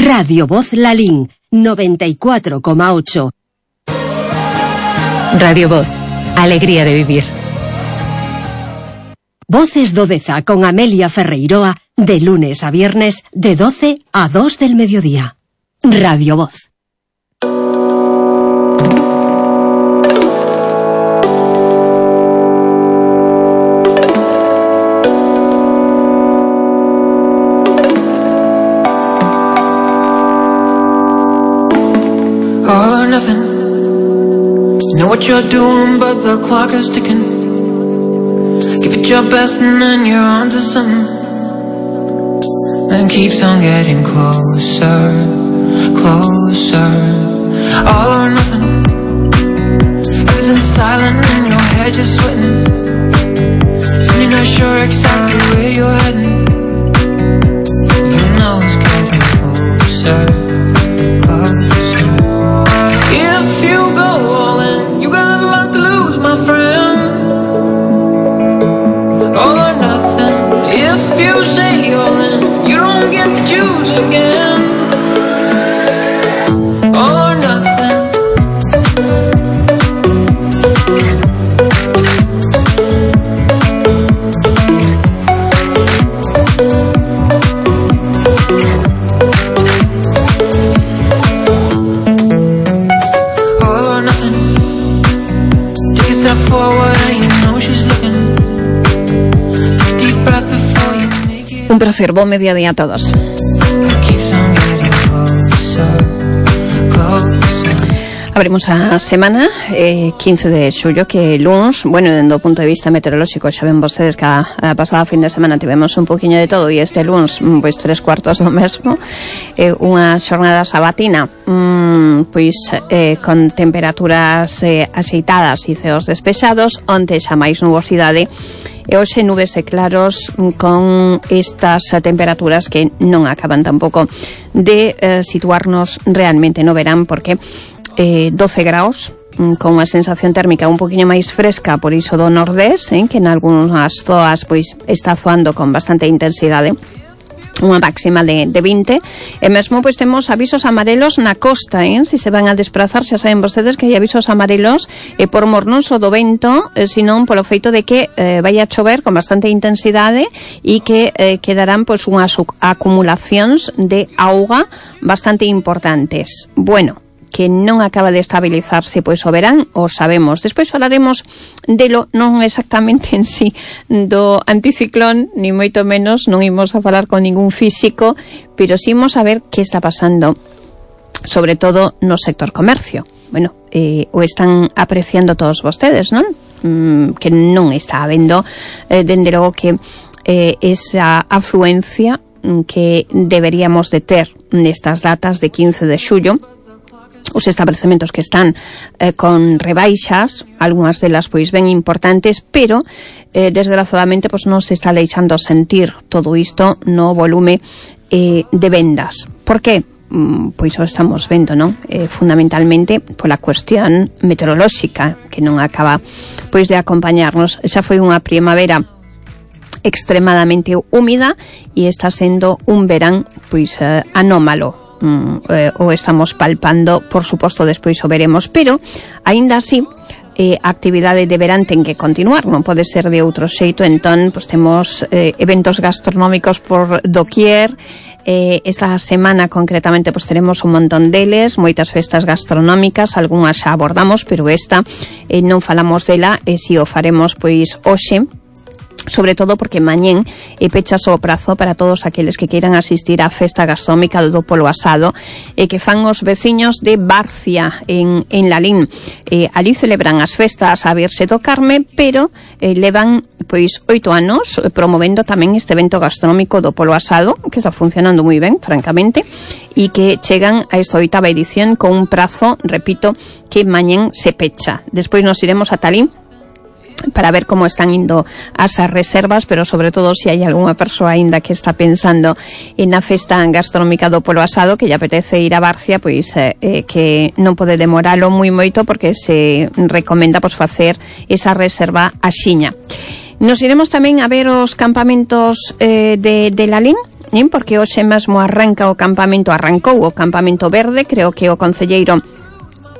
Radio Voz Lalín, 94,8. Radio Voz, alegría de vivir. Voces do Deza con Amelia Ferreiroa, de lunes a viernes, de 12 a 2 del mediodía. Radio Voz. All or nothing. You know what you're doing, but the clock is ticking. Give it your best and then you're on to something. Then keeps on getting closer, closer. All or nothing. Everything's silent in your head, you're sweating. So you're not sure exactly where you're heading. You know it's getting closer, closer. If you go all in, you got a lot to lose, my friend. All or nothing. If you say all in, you don't get to choose again. All or nothing. Un placer, bom mediodía a todos. Abrimos a semana 15 de xullo, que luns, bueno, dende o punto de vista meteorolóxico, xa ven vostedes que a pasada fin de semana tivemos un poquinho de todo, e este luns, pois 3/4 do mesmo, unha xornada sabatina, con temperaturas axeitadas e ceos despexados, onte xa máis nubosidade, e hoxe nubes e claros con estas temperaturas que non acaban tampouco de situarnos realmente no verán, porque 12 graus con unha sensación térmica un poquinho máis fresca, por iso do nordés, que en algunhas zoas pois está zoando con bastante intensidade, unha máxima de 20, e mesmo pois temos avisos amarelos na costa, se se van a desplazar, xa saben vostedes que hai avisos amarelos por mor non só do vento, senón polo feito de que vai a chover con bastante intensidade e que quedarán pois unhas acumulacións de auga bastante importantes. Bueno, que non acaba de estabilizarse pois o verán, o sabemos. Despois falaremos delo, non exactamente en sí do anticiclón, ni moito menos, non imos a falar con ningún físico, pero sí imos a ver que está pasando, sobre todo no sector comercio. Bueno, o están apreciando todos vostedes, non? Que non está habendo, dende logo que esa afluencia que deberíamos de ter nestas datas de 15 de xullo, os establecementos que están con rebaixas, algunhas delas pois ben importantes, pero desgraciadamente pois non se está deixando sentir todo isto no volume de vendas. Por que? Pois o estamos vendo, non? Fundamentalmente pola cuestión meteorolóxica, que non acaba pois de acompañarnos. Xa foi unha primavera extremadamente húmida e está sendo un verán pois anómalo. O estamos palpando, por suposto despois o veremos, pero aínda así a actividade de verán ten que continuar, non pode ser de outro xeito. Entón, pois temos eventos gastronómicos por doquier. Esta semana concretamente pois teremos un montón deles, moitas festas gastronómicas, algunhas xa abordamos, pero esta non falamos dela, e si o faremos pois hoxe, sobre todo porque mañén pechas o prazo para todos aqueles que queiran asistir á festa gastronómica do Polo Asado, que fan os veciños de Barcia en Lalín. Ali celebran as festas a Virxe do Carme, pero levan pois 8 anos promovendo tamén este evento gastronómico do Polo Asado, que está funcionando moi ben, francamente, e que chegan a esta 8ª edición con un prazo, repito, que mañén se pecha. Despois nos iremos a Talín para ver como están indo as reservas, pero sobre todo se hai algunha persoa aínda que está pensando na festa gastronómica do Polo Asado, que lle apetece ir a Barcia, pois que non pode demoralo moi moito, porque se recomenda pois facer esa reserva axiña. Nos iremos tamén a ver os campamentos de Lalín, porque hoxe mesmo arrancou o campamento verde, creo que o concelleiro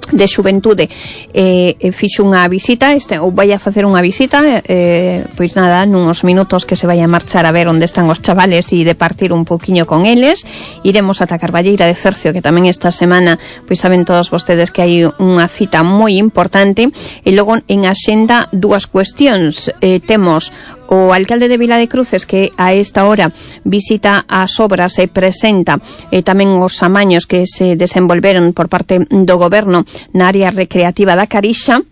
de Xuventude fixo unha visita, ou vai a facer unha visita, pois nada, nuns minutos que se vai a marchar a ver onde están os chavales e de partir un poquinho con eles. Iremos ata Carballeira de Cercio, que tamén esta semana, pois saben todos vostedes que hai unha cita moi importante. E logo en axenda dúas cuestións, temos o alcalde de Vila de Cruces, que a esta hora visita as obras e presenta tamén os amaños que se desenvolveron por parte do goberno na área recreativa da Carixa.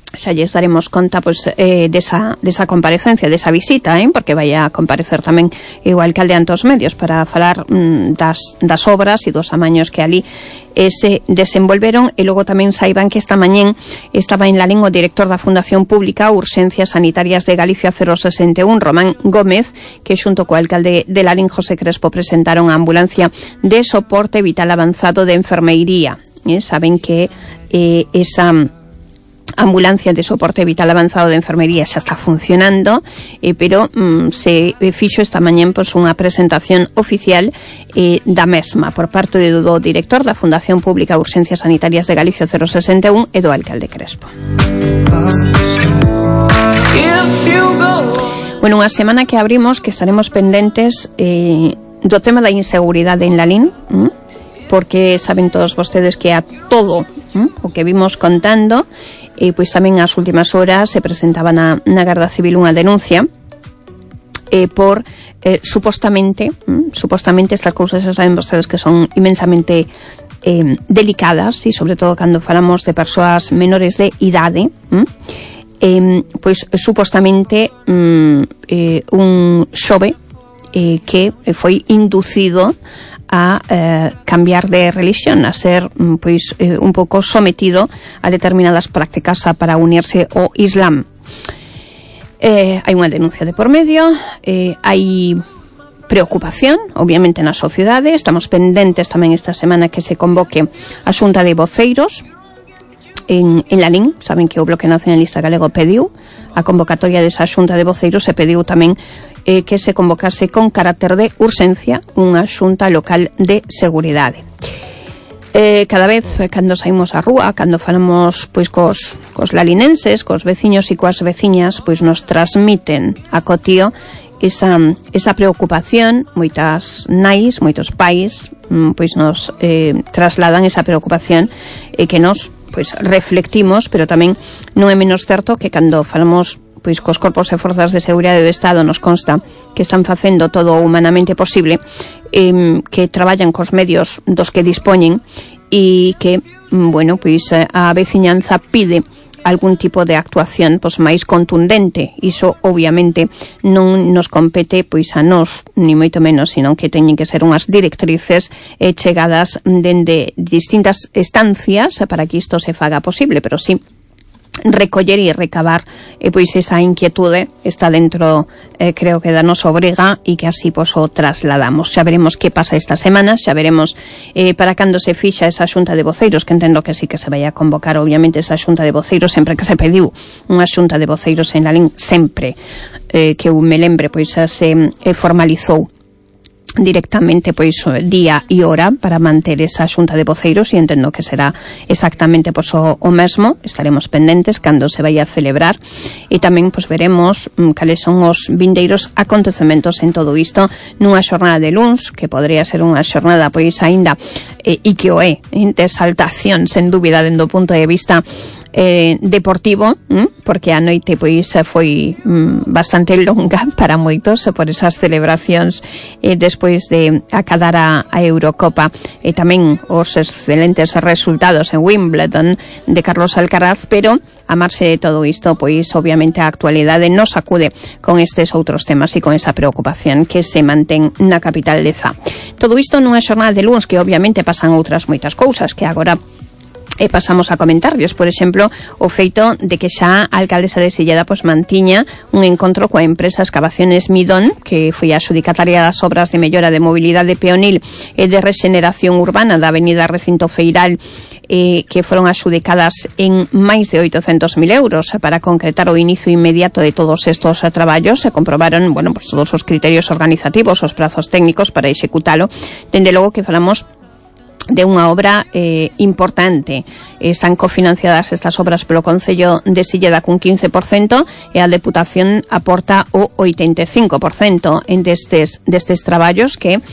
Xa lles daremos conta desa comparecencia, desa visita, porque vai a comparecer tamén o alcalde ante os medios para falar das obras e dos amaños que ali se desenvolveron. E logo tamén saiban que esta mañén estaba en Lalín o director da Fundación Pública Urxencias Sanitarias de Galicia 061, Román Gómez, que xunto co alcalde de Lalín, José Crespo, presentaron a ambulancia de soporte vital avanzado de enfermeiría. Saben que esa ambulancia de soporte vital avanzado de enfermería xa está funcionando, pero se fixo esta mañén unha presentación oficial da mesma por parte do director da Fundación Pública Urxencias Sanitarias de Galicia 061 e do alcalde Crespo. Bueno, unha semana que abrimos que estaremos pendentes do tema da inseguridade en Lalín, porque saben todos vostedes que a todo o que vimos contando, pois tamén as últimas horas se presentaba na Garda Civil unha denuncia por supostamente estas cousas xa saben vostedes que son inmensamente delicadas, e sobre todo cando falamos de persoas menores de idade, pois supostamente un xove que foi inducido a cambiar de religión, a ser pois un pouco sometido a determinadas prácticas para unirse ao Islam. Hai unha denuncia de por medio, hai preocupación, obviamente, na sociedade. Estamos pendentes tamén esta semana que se convoque a Xunta de Voceiros en Lalín. Saben que o Bloque Nacionalista Galego pediu a convocatoria desa Xunta de Voceiros e pediu tamén que se convocase con carácter de urxencia unha xunta local de seguridade. Cada vez cando saímos á rúa, cando falamos pois cos lalinenses, cos veciños e coas veciñas, pois nos transmiten a cotío esa preocupación. Moitas nais, moitos pais pois nos trasladan esa preocupación que nos pois reflectimos, pero tamén non é menos certo que cando falamos pois cos corpos e forzas de seguridade do Estado nos consta que están facendo todo o humanamente posible, que traballan cos medios dos que dispoñen e que, bueno, pois a veciñanza pide algún tipo de actuación pois máis contundente. Iso obviamente non nos compete pois a nós, ni moito menos, sino que teñen que ser unhas directrices chegadas dende distintas estancias para que isto se faga posible, pero sí recoller e recabar pois esa inquietude está dentro, creo que da nosa obriga, e que así pois o trasladamos. Xa veremos que pasa esta semana, xa veremos para cando se fixa esa xunta de voceiros, que entendo que sí que se vai a convocar obviamente esa xunta de voceiros, sempre que se pediu unha xunta de voceiros en Lalín, sempre que eu me lembre pois se formalizou directamente pois día e hora para manter esa xunta de voceiros, e entendo que será exactamente pois o mesmo. Estaremos pendentes cando se vai a celebrar e tamén pois veremos cales son os vindeiros acontecementos en todo isto nunha xornada de luns, que podría ser unha xornada pois aínda e que o é de exaltación sen dúbida dentro do punto de vista deportivo, porque a noite pois foi bastante longa para moitos por esas celebracións despois de acadar a Eurocopa e tamén os excelentes resultados en Wimbledon de Carlos Alcaraz. Pero a marxe de todo isto, pois obviamente a actualidade nos acude con estes outros temas e con esa preocupación que se mantén na capital de Zá. Todo isto nunha xornada de luns que obviamente pasan outras moitas cousas que agora E pasamos a comentarles, por exemplo, o feito de que xa a alcaldesa de Silleda pois mantiña un encontro coa empresa Excavaciones Midón, que foi a adxudicataria das obras de mellora de mobilidade peonil e de rexeneración urbana da avenida Recinto Feiral, que foron adxudicadas en máis de 800.000 euros para concretar o inicio inmediato de todos estos traballos. Se comprobaron, bueno, pues todos os criterios organizativos, os prazos técnicos para executalo. Dende logo que falamos de unha obra importante. Están cofinanciadas estas obras polo Concello de Silleda cun 15% e a Deputación aporta o 85% en destes traballos que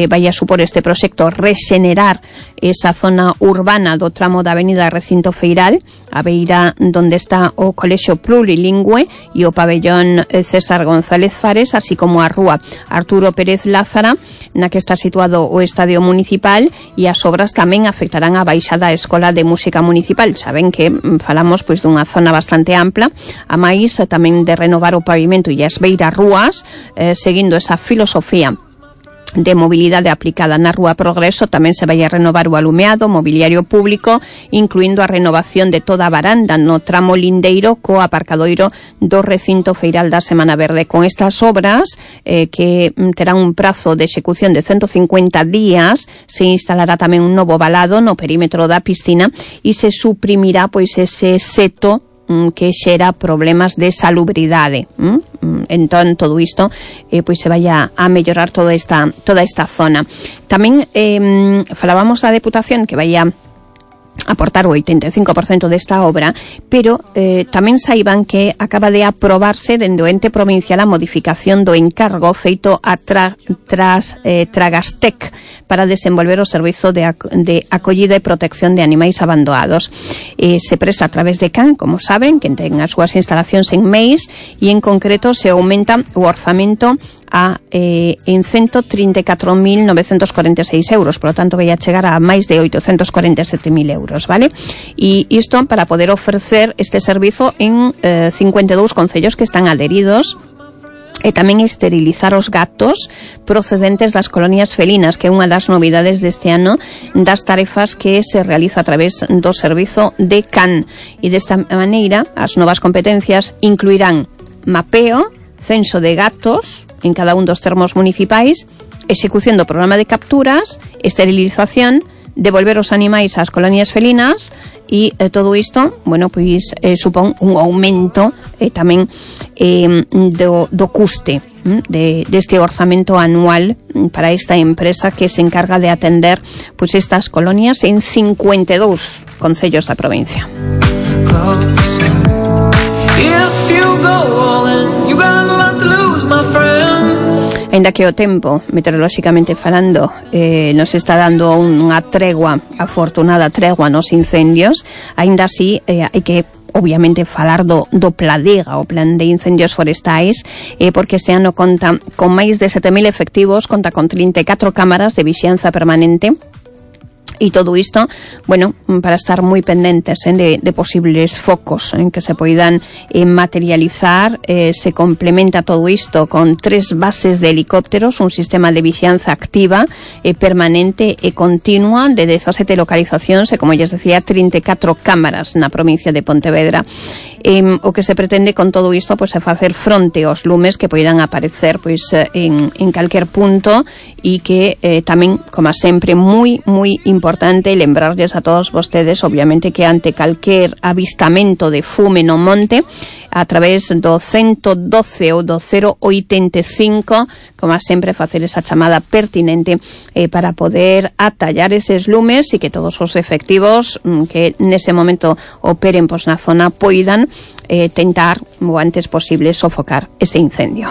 vai a supor este proxecto rexenerar esa zona urbana do tramo da avenida Recinto Feiral, a beira donde está o Colexio Plurilingüe e o pabellón César González Fares, así como a rúa Arturo Pérez Lázara, na que está situado o Estadio Municipal, e as obras tamén afectarán a baixada Escola de Música Municipal. Saben que falamos pois dunha zona bastante ampla, a máis tamén de renovar o pavimento e as beiras rúas, seguindo esa filosofía de mobilidade aplicada na Rúa Progreso. Tamén se vai a renovar o alumeado, mobiliario público, incluindo a renovación de toda a varanda no tramo lindeiro co aparcadoiro do Recinto Feiral da Semana Verde. Con estas obras, que terán un prazo de execución de 150 días, se instalará tamén un novo valado no perímetro da piscina e se suprimirá pois ese seto que xera problemas de salubridade. Entón, todo isto pois se vai a mellorar toda esta zona. Tamén falábamos da Deputación que vai a aportar o 85% desta obra, pero tamén saiban que acaba de aprobarse dende o ente provincial a modificación do encargo feito a Tragastec para desenvolver o servizo de acollida e protección de animais abandonados. Se presta a través de CAN, como saben, que ten as súas instalacións en Meis, e en concreto se aumenta o orzamento en 134.946 euros, por lo tanto vai a chegar a máis de 847.000 euros, vale? E isto para poder ofrecer este servizo en 52 concellos que están adheridos, e tamén esterilizar os gatos procedentes das colonias felinas, que é unha das novidades deste ano das tarefas que se realiza a través do servizo de CAN. E desta maneira as novas competencias incluirán mapeo, censo de gatos en cada un dos termos municipais, execución do programa de capturas, esterilización, devolver os animais ás colonias felinas, e todo isto, bueno, pois supón un aumento tamén do custe deste orzamento anual para esta empresa que se encarga de atender pois estas colonias en 52 concellos da provincia. Ainda que o tempo, meteorolóxicamente falando, nos está dando unha tregua, afortunada tregua nos incendios, ainda así hai que obviamente falar do Pladega, o plan de incendios forestais, porque este ano conta con máis de 7.000 efectivos, conta con 34 cámaras de vixianza permanente. E todo isto, bueno, para estar moi pendentes de posibles focos en que se poidan materializar. Se complementa todo isto con 3 bases de helicópteros, un sistema de vixianza activa, permanente e continua de 17 localizacións e, como lles decía, 34 cámaras na provincia de Pontevedra. O que se pretende con todo isto pois é facer fronte aos lumes que poidan aparecer pois en calquer punto, e que tamén, como sempre, moi importante lembrarles a todos vostedes, obviamente, que ante calquer avistamento de fume no monte, a través do 112 ou do 085, como sempre, facer esa chamada pertinente para poder atallar eses lumes, e que todos os efectivos que nese momento operen pois na zona poidan tentar o antes posible sofocar ese incendio.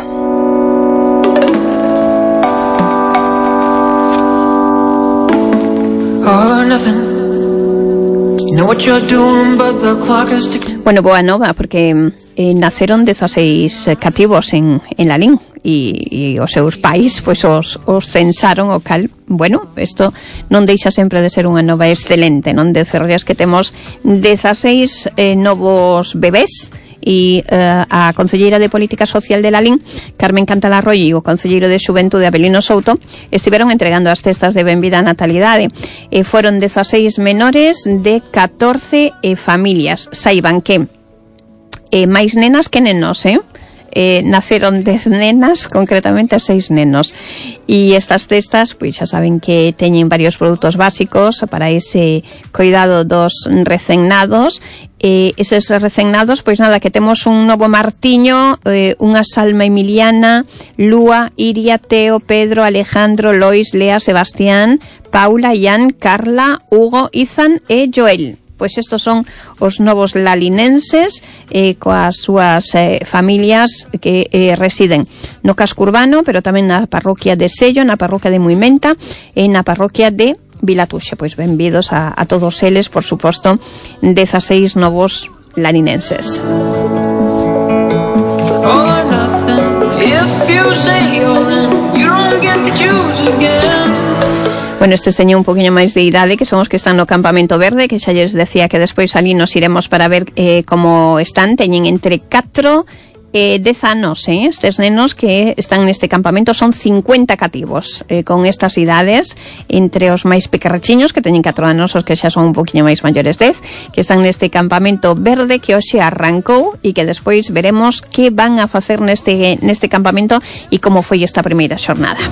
Bueno, boa nova, porque naceron 16 cativos en Lalín, e os seus pais pois os censaron, o cal, bueno, isto non deixa sempre de ser unha nova excelente, non? Decerles que temos 16 novos bebés e a concelleira de Política Social de Lalín, Carmen Cantalarroyo, e o concelleiro de Xuventude, Abelino Souto, estiveron entregando as cestas de benvida á natalidade. Foron 16 menores de 14 familias. Saiban que máis nenas que nenos, naceron 10 nenas, concretamente 6 nenos, e estas cestas, pois xa saben que teñen varios produtos básicos para ese cuidado dos recennados. Eses recennados, pois nada, que temos un novo Martiño, unha Salma Emiliana, Lúa, Iria, Teo, Pedro, Alejandro, Lois, Lea, Sebastián, Paula, Ian, Carla, Hugo, Izan e Joel. Pois estos son os novos lalinenses coas súas familias que residen no casco urbano, pero tamén na parroquia de Sello, na parroquia de Muimenta e na parroquia de Vilatuxe. Pois benvidos a todos eles, por suposto, 16 novos lalinenses. Bueno, estes teñen un poquinho máis de idade, que son os que están no campamento verde, que xa lles decía que despois ali nos iremos para ver como están. Teñen entre 4 e 10 anos, estes nenos que están neste campamento. Son 50 cativos con estas idades, entre os máis pequerrechiños, que teñen 4 anos, os que xa son un poquinho máis maiores, 10, que están neste campamento verde que hoxe arrancou e que despois veremos que van a facer neste campamento e como foi esta primeira xornada.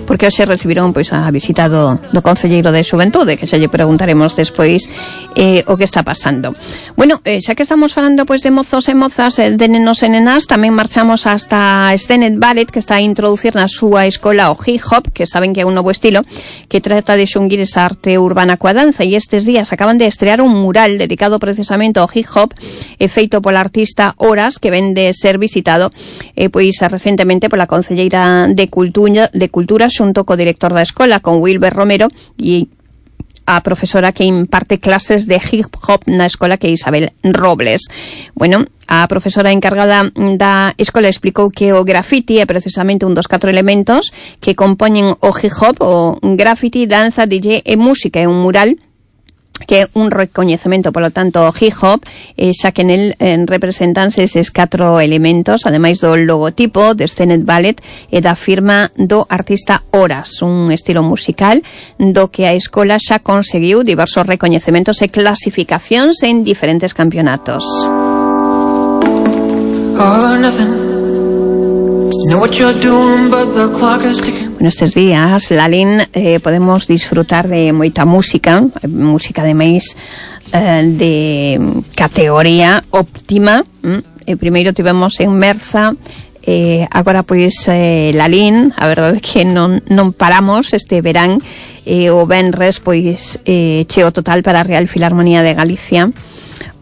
Porque hoxe recibiron pois a visita do concelleiro de Xuventude, que xa lle preguntaremos despois o que está pasando. Bueno, xa que estamos falando pois de mozos e mozas, de nenos e nenas, tamén marchamos hasta Stenet Ballet, que está a introducir na súa escola o hip hop, que saben que é un novo estilo que trata de xunguir esa arte urbana coa danza, e estes días acaban de estrear un mural dedicado precisamente ao hip hop, feito pola artista Horas, que ven de ser visitado pois recentemente pola concelleira de Cultura xunto co director da escola, con Wilber Romero, e a profesora que imparte clases de hip hop na escola, que é Isabel Robles. Bueno, a profesora encargada da escola explicou que o graffiti é precisamente un dos 4 elementos que compoñen o hip hop, o graffiti, danza, DJ e música. É un mural que é un recoñecemento, polo tanto, hip hop, xa que nel representanse eses 4 elementos, ademais do logotipo de Stenet Ballet e da firma do artista Horas, un estilo musical do que a escola xa conseguiu diversos recoñecementos e clasificacións en diferentes campeonatos. Bueno, estes días, Lalín, podemos disfrutar de moita música ademais de categoría óptima. Primeiro tivemos en Merza, agora pois Lalín, a verdade é que non paramos este verán. O venres pois cheo total para a Real Filarmonía de Galicia.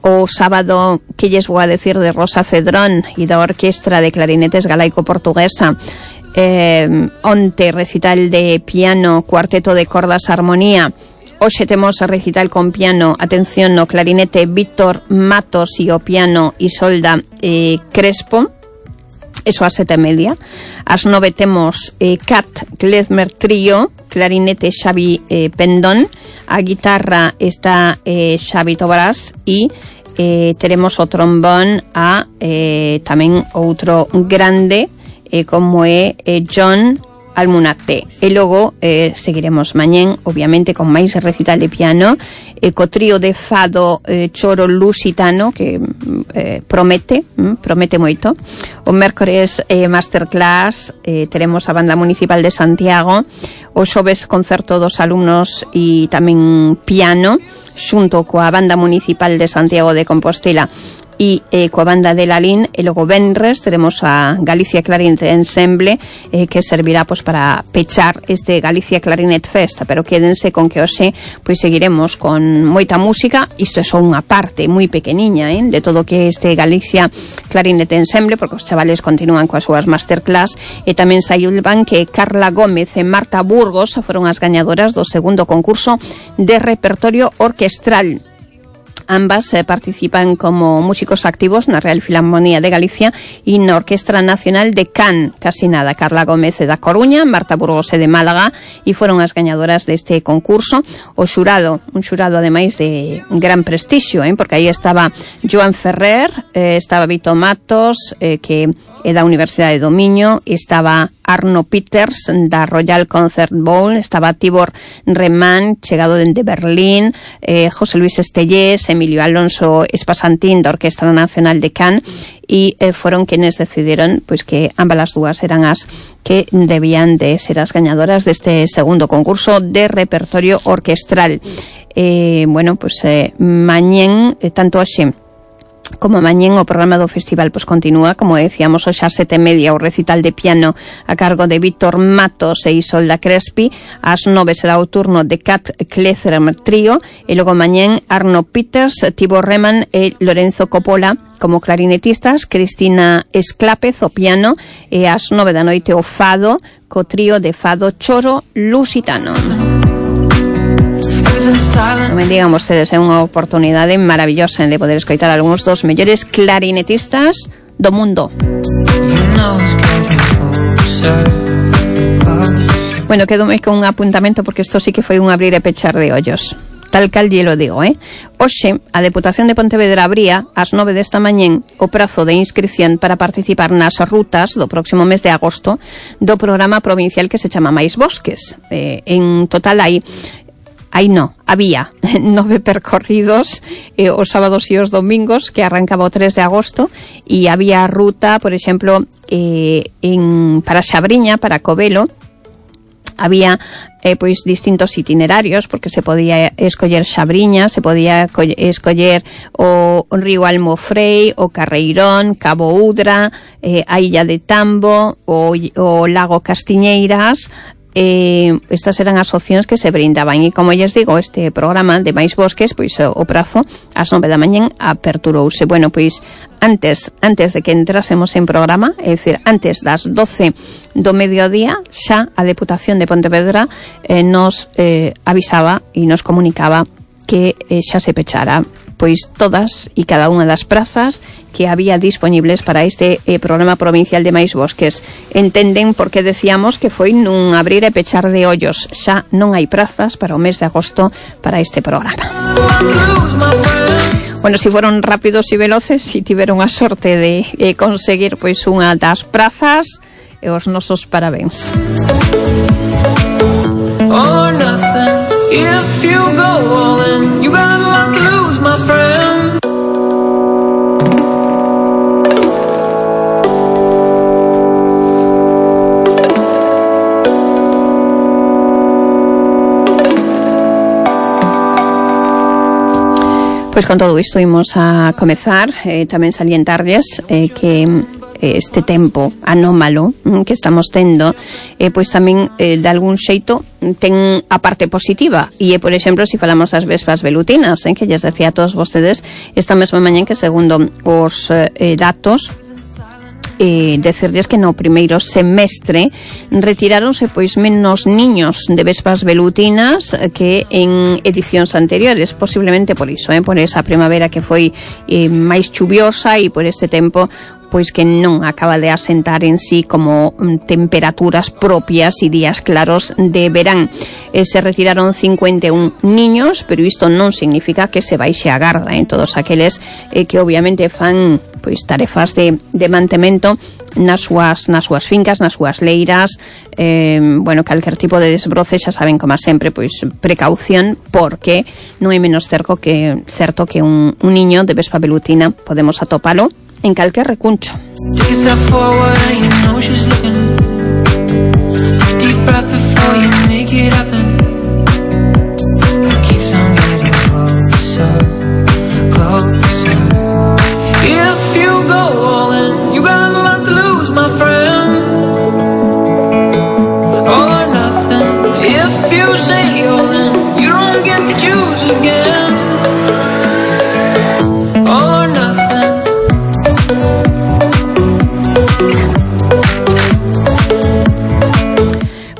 O sábado, que lles vou a decir de Rosa Cedrón e da Orquestra de Clarinetes Galaico-Portuguesa. Onte recital de piano, cuarteto de cordas, armonía. Hoxe temos a recital con piano, atención, no clarinete Víctor Matos e o piano Isolda Crespo. Eso ás 7:30. Ás 9 temos Cat Klezmer Trío, clarinete Xavi Pendón, a guitarra está Xavi Tobarás e teremos o trombón a tamén outro grande como é John Almunate. E logo seguiremos mañén, obviamente, con máis recital de piano, co trío de fado Choro Lusitano, que promete moito. O mércores masterclass, teremos a Banda Municipal de Santiago, o xoves concerto dos alumnos e tamén piano, xunto coa Banda Municipal de Santiago de Compostela e coa banda de Lalín. E logo venres teremos a Galicia Clarinet Ensemble, que servirá pois para pechar este Galicia Clarinet Fest. Pero quédense con que hoxe pois seguiremos con moita música. Isto é só unha parte moi pequeniña de todo o que é este Galicia Clarinet Ensemble, porque os chavales continúan coas súas masterclass. E tamén saíban que Carla Gómez e Marta Burgos foron as gañadoras do segundo concurso de repertorio orquestral. Ambas participan como músicos activos na Real Filarmonía de Galicia e na Orquestra Nacional de Can, casi nada. Carla Gómez da Coruña, Marta Burgos de Málaga, e foron as gañadoras deste concurso. O xurado, un xurado ademais de gran prestixio, porque aí estaba Joan Ferrer, estaba Vito Matos, que é da Universidade do Miño, estaba Arno Peters da Royal Concert Bowl, estaba Tibor Reman, chegado dende Berlín, José Luis Estellés, Emilio Alonso Espasantín da Orquestra Nacional de Cannes, e foron quienes decidiron pois que ambas as dúas eran as que debían de ser as gañadoras deste segundo concurso de repertorio orquestral. Mañén, tanto hoxe como mañén o programa do festival continúa, como decíamos, hoxe ás 7:30 o recital de piano a cargo de Víctor Matos e Isolda Crespi. Ás 9 será o turno de Kat Klezmer Trío, e logo mañén Arno Peters, Tibor Reman e Lorenzo Coppola como clarinetistas, Cristina Esclápez o piano, e ás 9 da noite o fado co trío de fado Choro Lusitano. Non me digan vostedes, é unha oportunidade maravillosa de poder escoitar algúns dos mellores clarinetistas do mundo. Bueno, quedome con un apuntamento porque isto sí que foi un abrir e pechar de ollos. Tal cal lle lo digo, Hoxe, a Deputación de Pontevedra abría ás 9 desta mañén o prazo de inscripción para participar nas rutas do próximo mes de agosto do programa provincial que se chama Mais Bosques. En total había 9 percorridos os sábados e os domingos, que arrancaba o 3 de agosto, e había ruta, por exemplo, para Xabriña, para Covelo. Había distintos itinerarios, porque se podía escoller Xabriña, se podía escoller o río Almofrei, o Carreirón, Cabo Udra, a Illa de Tambo, o Lago Castiñeiras. Estas eran as opcións que se brindaban, e como lles digo, este programa de Mais Bosques, o prazo ás 9 da mañén aperturouse. Bueno, antes de que entrásemos en programa, é dicir, antes das 12 do mediodía, xa a Deputación de Pontevedra nos avisaba e nos comunicaba que xa se pechara todas e cada unha das prazas que había disponibles para este programa provincial de Mais Bosques. Entenden porque decíamos que foi nun abrir e pechar de ollos. Xa non hai prazas para o mes de agosto para este programa. Bueno, si foron rápidos e veloces, si tiveron a sorte de conseguir unha das prazas, os nosos parabéns. Or nothing. If you go all in, you got a lot to lose, my friend. Pois con todo isto imos a comezar, tamén salientarlles que este tempo anómalo que estamos tendo, pois tamén de algún xeito ten a parte positiva, e por exemplo, se falamos das vespas velutinas, que lles decía a todos vostedes esta mesma mañá, que segundo os datos, decirles que no primeiro semestre retiráronse menos niños de vespas velutinas que en edicións anteriores, posiblemente por iso, por esa primavera que foi máis chuviosa e por este tempo que non acaba de asentar en sí como temperaturas propias e días claros de verán. Se retiraron 51 niños, pero isto non significa que se baixe a garda en todos aqueles que obviamente fan tarefas de mantemento nas súas fincas, nas súas leiras, calquer tipo de desbroce, xa saben, como sempre, precaución, porque non é menos certo que un niño de vespa velutina podemos atopalo en calquer recuncho.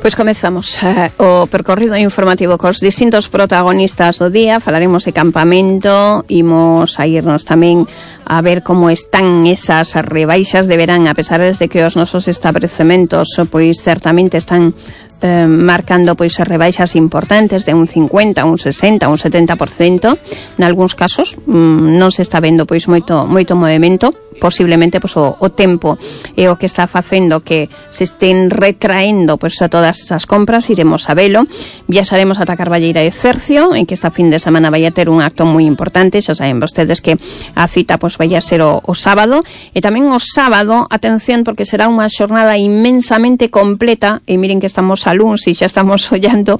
Pois comezamos o percorrido informativo cos distintos protagonistas do día. Falaremos de campamento, imos a irnos tamén a ver como están esas rebaixas de verán, a pesar de que os nosos establecementos pois certamente están marcando pois rebaixas importantes de un 50, un 60, un 70%. Nalgúns casos non se está vendo pois moito movimento. Posiblemente pois o tempo é o que está facendo que se estén retraendo pois a todas esas compras. Iremos a velo. Viaxaremos ata Carballeira e Cercio, en que esta fin de semana vai a ter un acto moi importante. Xa saben vostedes que a cita pois vai a ser o sábado, e tamén o sábado, atención, porque será unha xornada inmensamente completa, e miren que estamos a luns e xa estamos ollando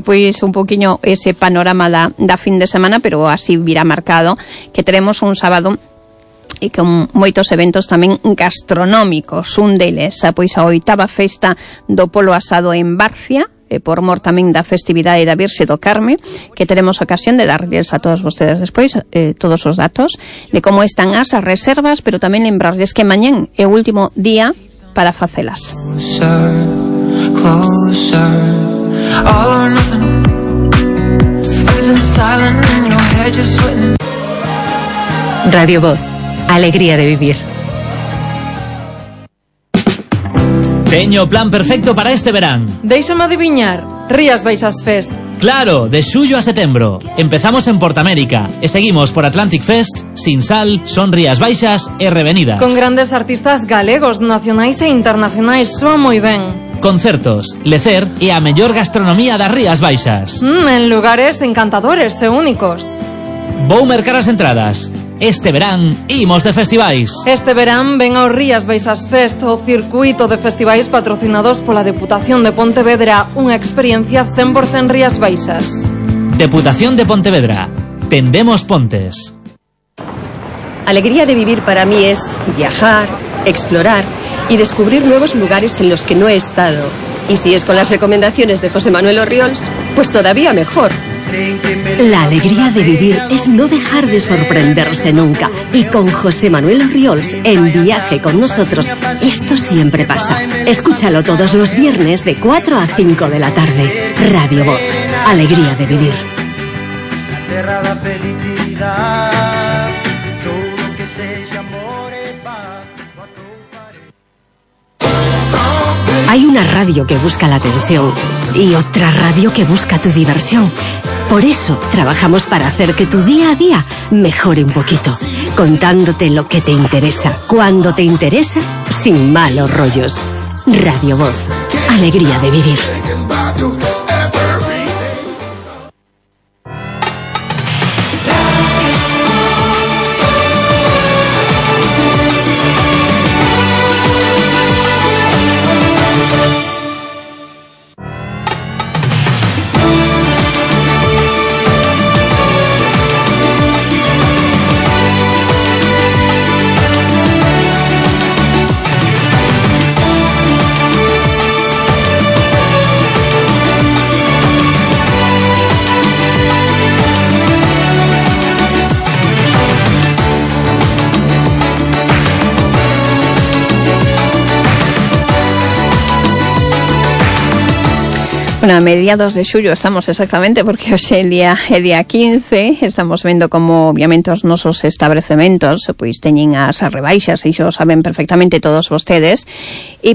pois un poquinho ese panorama da fin de semana, pero así virá marcado que teremos un sábado e con moitos eventos tamén gastronómicos. Un deles, pois a 8ª festa do Polo Asado en Barcia, por mor tamén da festividade da Virxe do Carme, que teremos ocasión de darles a todos vostedes despois todos os datos de como están as reservas, pero tamén lembrarles que mañán é o último día para facelas. Radio Voz. Alegría de vivir. Teño o plan perfecto para este verán. Déixame adiviñar, Rías Baixas Fest. Claro, de xullo a setembro. Empezamos en Portamérica e seguimos por Atlantic Fest, Sinsal, Son Rías Baixas e Revenidas. Con grandes artistas galegos, nacionais e internacionais, soa moi ben. Concertos, lecer e a mellor gastronomía das Rías Baixas. En lugares encantadores e únicos. Vou mercar as entradas. Este verán imos de festivais. Este verán ven ao Rías Baixas Fest, o circuito de festivais patrocinados pola Deputación de Pontevedra, unha experiencia 100% Rías Baixas. Deputación de Pontevedra. Tendemos pontes. Alegría de vivir para mí es viajar, explorar y descubrir nuevos lugares en los que no he estado. Y si es con las recomendaciones de José Manuel Orriols, pues todavía mejor. La alegría de vivir es no dejar de sorprenderse nunca. Y con José Manuel Orriols en Viaje con nosotros, esto siempre pasa. Escúchalo todos los viernes de 4 a 5 de la tarde. Radio Voz. Alegría de vivir. Hay una radio que busca la atención y otra radio que busca tu diversión. Por eso trabajamos para hacer que tu día a día mejore un poquito, contándote lo que te interesa, cuando te interesa, sin malos rollos. Radio Voz. Alegría de vivir. A mediados de xullo estamos exactamente, porque hoxe é día 15, estamos vendo como obviamente os nosos establecementos pois teñen as rebaixas, e iso saben perfectamente todos vostedes,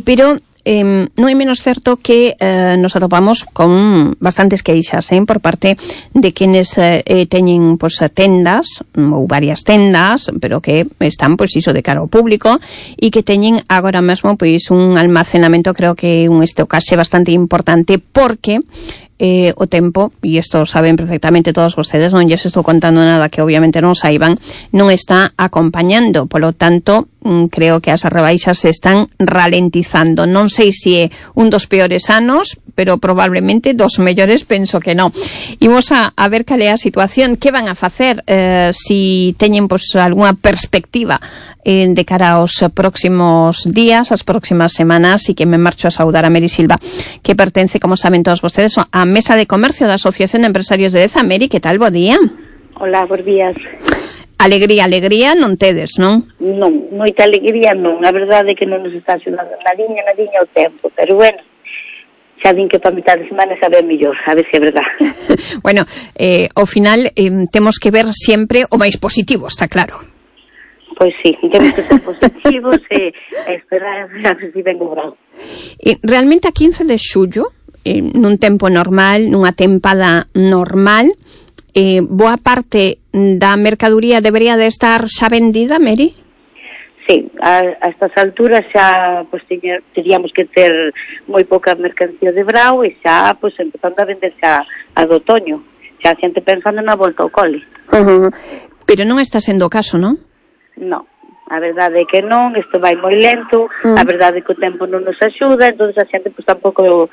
pero non é menos certo que nos atopamos con bastantes queixas por parte de quenes teñen pois tendas ou varias tendas, pero que están pois iso de cara ao público, e que teñen agora mesmo pois un almacenamento, creo que un estocaxe bastante importante, porque o tempo, e isto saben perfectamente todos vostedes, non lles estou contando nada que obviamente non saiban, non está acompañando, polo tanto creo que as rebaixas se están ralentizando. Non sei se é un dos peores anos, pero probablemente dos mellores, penso que non. Imos a ver cal é a situación, que van a facer, si teñen pois algunha perspectiva de cara aos próximos días, as próximas semanas, e que me marcho a saudar a Meri Silva, que pertence, como saben todos vostedes, a Mesa de Comercio da Asociación de Empresarios de Deza. Meri, que tal? Bo día. Hola, bos días. Alegría non tedes, non? Non, moita alegría non. A verdade é que non nos está axudando nadiña o tempo, pero bueno, xa din que para mitad de semana xa ve mellor, a ver se é verdad. Bueno, ao final temos que ver sempre o máis positivo, está claro. Pois sí, temos que ser positivos e esperar a ver se ven o grau. Realmente a 15 de xullo, nun tempo normal, nunha tempada normal, boa parte da mercadoría debería de estar xa vendida, Mary? Sí, a estas alturas xa pues, teríamos que ter moi pouca mercancía de brao e xa pues, empezando a vender xa a do otoño, xa a xente pensando na volta ao cole. Pero non está sendo o caso, non? Non, a verdade é que non, isto vai moi lento, a verdade é que o tempo non nos axuda, entón a xente pues, tampouco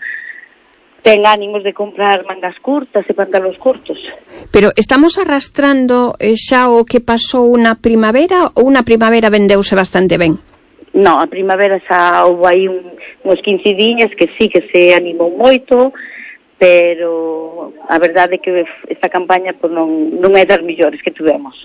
ten ánimos de comprar mangas curtas e pantalóns curtos. Pero estamos arrastrando xa o que pasou na primavera ou na primavera vendeuse bastante ben? Non, a primavera xa houve aí uns 15 diñas que sí que se animou moito, pero a verdade é que esta campaña pues, non é das millores que tivemos.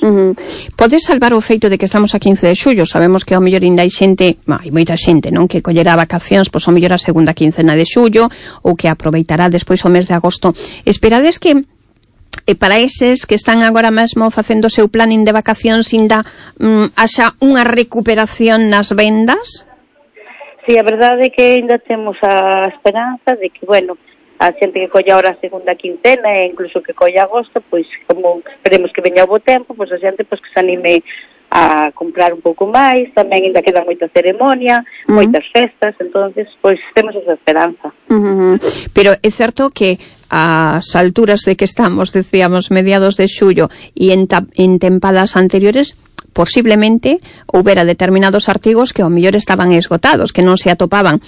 Podes salvar o feito de que estamos a 15 de xullo? Sabemos que ao mellor ainda hai xente, hai moita xente, non, que collerá vacacións, pois ao mellor a segunda quincena de xullo ou que aproveitará despois o mes de agosto. Esperades que para eses que están agora mesmo facendo o seu planning de vacacións ainda haxa unha recuperación nas vendas? Sí, a verdade é que ainda temos a esperanza de que, bueno, a xente que colla ahora a segunda quincena e incluso que colla agosto, pois como esperemos que veña o bo tempo, pois a xente pois que se anime a comprar un pouco máis, tamén ainda queda moita ceremonia, moitas festas, entonces pois temos esa esperanza. Pero é certo que ás alturas de que estamos, decíamos, mediados de xullo e en tempadas anteriores, posiblemente houbera determinados artigos que ao mellor estaban esgotados, que non se atopaban.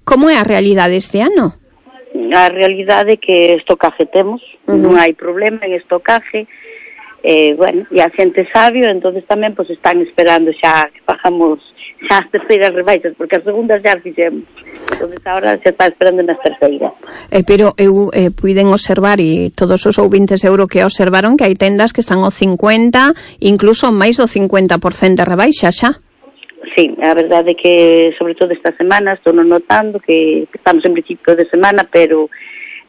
Como é a realidade este ano? A realidade é que estocaje temos, non hai problema en estocaje, bueno, e a xente sabio, entonces tamén pues, están esperando xa que pagamos xa as terceiras rebaixas, porque as segundas xa as fixemos, entonces agora xa está esperando nas terceiras. Pero eu puiden observar, e todos os ouvintes euro que observaron, que hai tendas que están ao 50, incluso máis do 50% de rebaixa xa. Sí, a verdade é que, sobre todo esta semana, estou notando que estamos en principio de semana, pero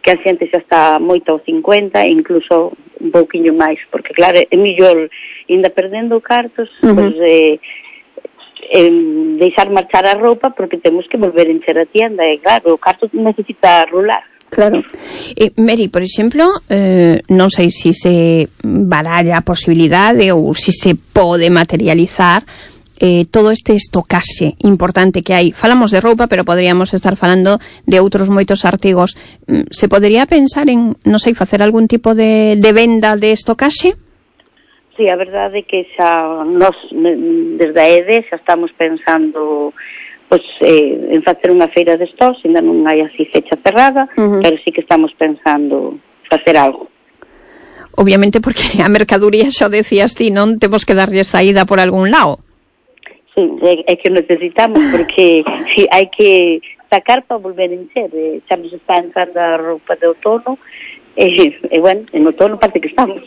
que a xente xa está moito ao 50, incluso un pouquiño máis, porque claro, é mellor ainda perdendo cartos, pues, deixar marchar a roupa, porque temos que volver a encher a tienda, e claro, o carto necesita rular. Claro. Mary, por exemplo, non sei se se baralla a posibilidade ou se se pode materializar todo este estocaxe importante que hai. Falamos de roupa, pero poderíamos estar falando de outros moitos artigos. Se podería pensar en, non sei, facer algún tipo de venda de estocaxe? Sí, a verdade é que xa nos, desde a EDE, xa estamos pensando pues, en facer unha feira de stocks, ainda non hai así fecha cerrada, pero sí que estamos pensando facer algo. Obviamente porque a mercadoría, xa decías ti, non temos que darlle saída por algún lado. Sí, é que necesitamos, porque sí, hai que sacar para volver a encher. Xa nos está entrando a roupa de outono, e bueno, en outono parte que estamos.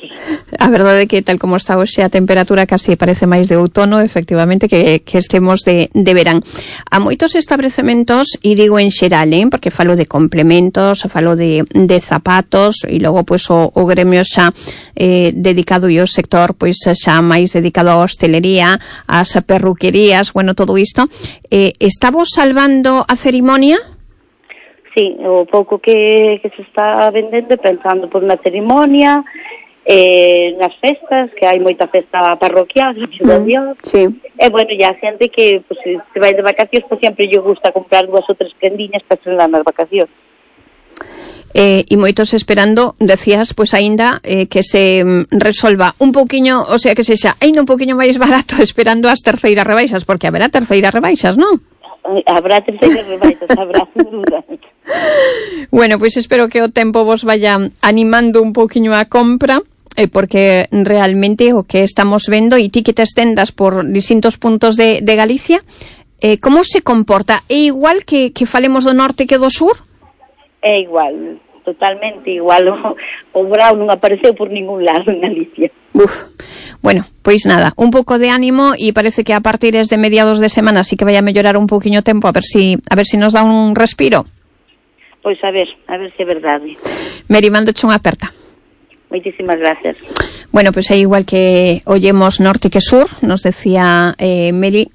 A verdade é que tal como está hoxe a temperatura casi parece máis de outono, efectivamente, que estemos de verán. A moitos establecementos, e digo en xeral, porque falo de complementos, falo de zapatos, e logo pois o gremio xa dedicado e o sector pois xa máis dedicado á hostelería, ás perruquerías, bueno, todo isto. Estamos salvando a cerimonia? Sí, o pouco que se está vendendo, pensando por unha cerimonia, nas festas, que hai moita festa parroquial, a Dios. Sí. E bueno, ya a xente que pues, se vai de vacacións, pues sempre lle gusta comprar 2 ou 3 prendiñas para estrenar nas vacacións. E moitos esperando, decías, pois aínda que se resolva un pouquiño, o sea, que sexa aínda un pouquiño máis barato esperando as terceiras rebaixas, porque haberá terceiras rebaixas, non? Habrá terceiras rebaixas, habrá, sin duda. Bueno, pois espero que o tempo vos vaya animando un pouquiño a compra, porque realmente o que estamos vendo, e ti que te estendas por distintos puntos de Galicia, como se comporta? É igual que falemos do norte que do sur? É igual, totalmente igual. O brao non apareceu por ningún lado en Galicia. Bueno, pois nada, un pouco de ánimo, e parece que a partir de mediados de semana sí que vai a mellorar un pouquiño o tempo, a ver si nos dá un respiro. Pois a ver se é verdade. Meri, mandoche unha aperta. Moitísimas gracias. Bueno, pois é igual que ollemos norte que sur, nos decía Meri,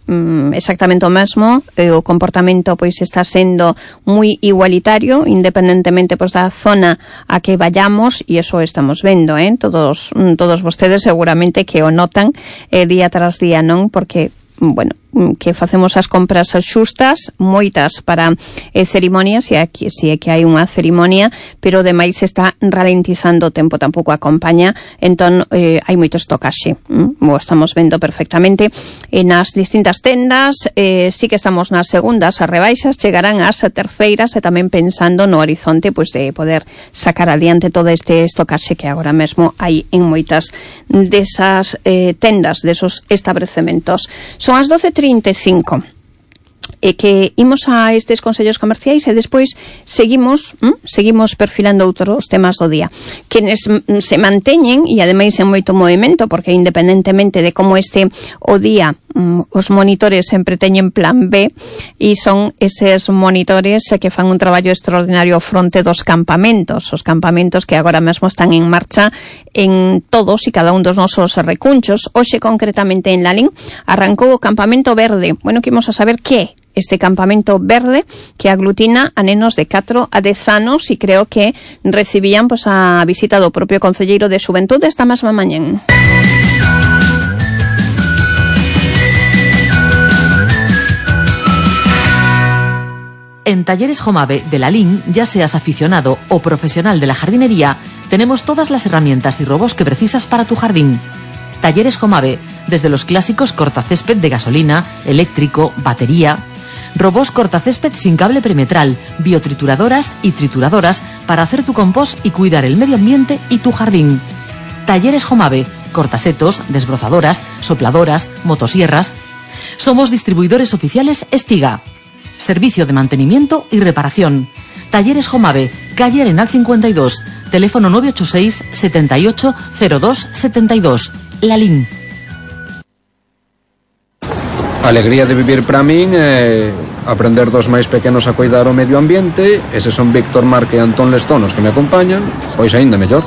exactamente o mesmo, o comportamento pois está sendo moi igualitario, independentemente pois da zona a que vayamos, e eso estamos vendo, todos vostedes seguramente que o notan día tras día, non? Porque bueno, que facemos as compras xustas, moitas para cerimonias, e aquí si é que hai unha cerimonia, pero demais está ralentizando o tempo, tampouco acompaña, entón hai moito estocaxe, o estamos vendo perfectamente nas distintas tendas. Sí que estamos nas segundas, as rebaixas chegarán ás terceiras, e tamén pensando no horizonte pois de poder sacar adiante todo este estocaxe que agora mesmo hai en moitas desas tendas, desos establecementos. Son as 12:35 e que imos a estes consellos comerciais e despois seguimos perfilando outros temas do día que se manteñen, e ademais en moito movimento, porque independentemente de como este o día, os monitores sempre teñen plan B, e son eses monitores que fan un traballo extraordinario fronte dos campamentos, os campamentos que agora mesmo están en marcha en todos e cada un dos nosos recunchos. Hoxe concretamente en Lalín arrancou o campamento verde. Bueno, que imos a saber que é este campamento verde que aglutina a nenos de 4 a 10 anos, e creo que recibían pois a visita do propio concelleiro de Xuventude esta mesma mañán. En Talleres Jomave de Lalín, ya seas aficionado o profesional de la jardinería, tenemos todas las herramientas y robos que precisas para tu jardín. Talleres Jomave, desde los clásicos cortacésped de gasolina, eléctrico, batería, robos cortacésped sin cable perimetral, biotrituradoras y trituradoras para hacer tu compost y cuidar el medio ambiente y tu jardín. Talleres Jomave, cortasetos, desbrozadoras, sopladoras, motosierras. Somos distribuidores oficiales Estiga. Servicio de mantenimiento y reparación. Talleres Jomave, calle Arenal 52, teléfono 986 78 02 72. Lalín. A alegría de vivir para min é aprender dos máis pequenos a cuidar o medio ambiente. Eses son Víctor Marque e Antón Lestón os que me acompañan, pois aínda mellor.